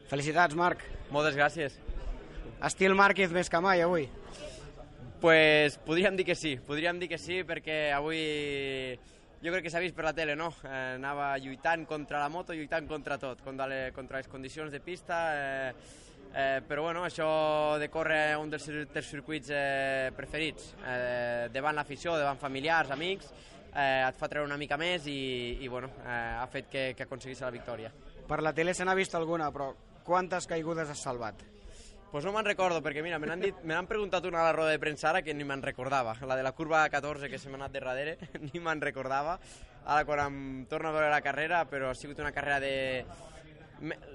Felicitats, Marc. Moltes gràcies. Estil Márquez més que mai, avui. Pues podríem dir que sí perquè avui jo crec que s'ha vist per la tele, no? Anava lluitant contra la moto, lluitant contra tot, contra les condicions de pista, però bueno, això de córrer un dels circuits preferits, davant l'afició, davant familiars, amics, et fa treure una mica més i bueno, ha fet que aconseguís la victòria. Per la tele se n'ha vist alguna, però quantes caigudes has salvat? Pues no me'n recordo, perquè mira, me n'han preguntat una a la roda de premsa ara que ni me'n recordava. La de la curva 14 que se m'ha anat de darrere, ni me'n recordava. Ara quan em torno a veure la carrera, però ha sigut una carrera de...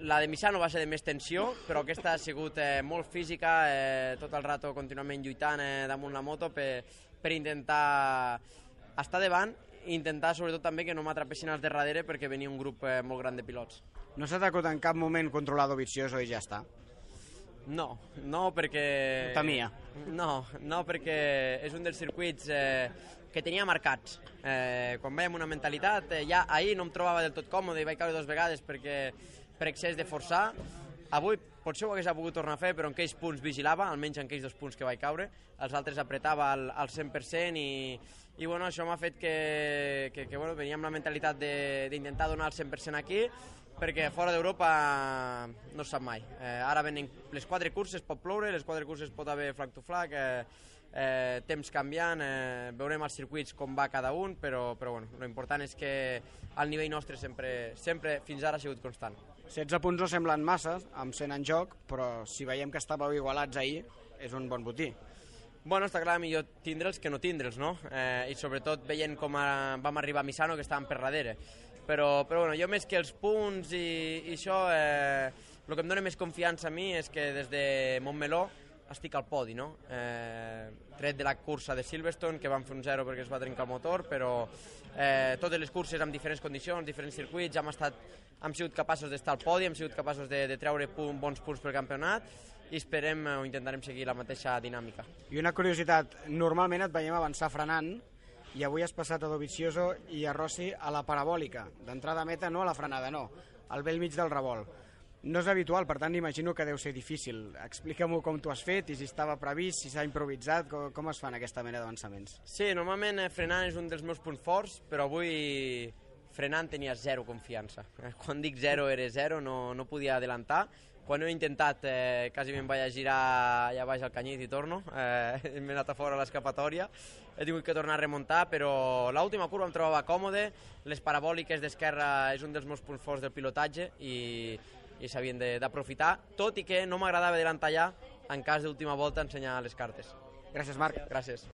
La de Misano va ser de més tensió, però aquesta ha sigut molt física, tot el rato contínuament lluitant damunt la moto per intentar estar davant i intentar sobretot també que no m'atrapessin als de darrere perquè venia un grup molt gran de pilots. No s'ha t'acut en cap moment controlar Dovizioso i ja està? No, perquè... Ho temia. No, perquè és un dels circuits que tenia marcats. Quan vaig amb una mentalitat, ja ahir no em trobava del tot còmode i vaig caure 2 vegades per excés de forçar. Avui potser ho hagués pogut tornar a fer, però en aquells punts vigilava, almenys en aquells 2 punts que vaig caure. Els altres apretava al 100% i bueno, això m'ha fet que bueno, venia amb la mentalitat d'intentar donar el 100% aquí, perquè fora d'Europa no es sap mai. Ara venen les 4 curses, pot ploure, les 4 curses pot haver flag to flag, temps canviant, veurem als circuits com va cada un, però bueno, l'important és que el nivell nostre sempre fins ara ha sigut constant. 16 punts no semblen massa, amb 100 en joc, però si veiem que estàveu igualats ahir, és un bon botí. Bueno, està clar, millor tindre'ls que no tindre'ls, no? I sobretot veient com vam arribar a Misano, que estàvem per darrere. Però bueno, jo més que els punts i això, el que em dona més confiança a mi és que des de Montmeló estic al podi, no? Tret de la cursa de Silverstone, que vam fer un 0 perquè es va trencar el motor, però totes les curses amb diferents condicions, diferents circuits, hem sigut capaços d'estar al podi, hem sigut capaços de treure bons punts pel campionat i esperem o intentarem seguir la mateixa dinàmica. I una curiositat, normalment et veiem avançar frenant i avui has passat a Dovizioso i a Rossi a la parabòlica, d'entrada a meta, no a la frenada, no, al bell mig del revolt. No és habitual, per tant imagino que deu ser difícil. Explica'm-ho com t'ho has fet i si estava previst, si s'ha improvisat, com es fan aquesta mena d'avançaments? Sí, normalment frenant és un dels meus punts forts, però avui frenant tenia 0 confiança. Quan dic 0 era 0, no podia adelantar. Quan ho he intentat quasi me'n vaig a girar allà baix al Canyit i torno, m'he anat a fora a l'escapatòria, he tingut que tornar a remuntar, però l'última curva em trobava còmode, les parabòliques d'esquerra és un dels meus punts forts del pilotatge i s'havien d'aprofitar, tot i que no m'agradava adelantar ja en cas d'última volta ensenyar les cartes. Gràcies, Marc. Gràcies.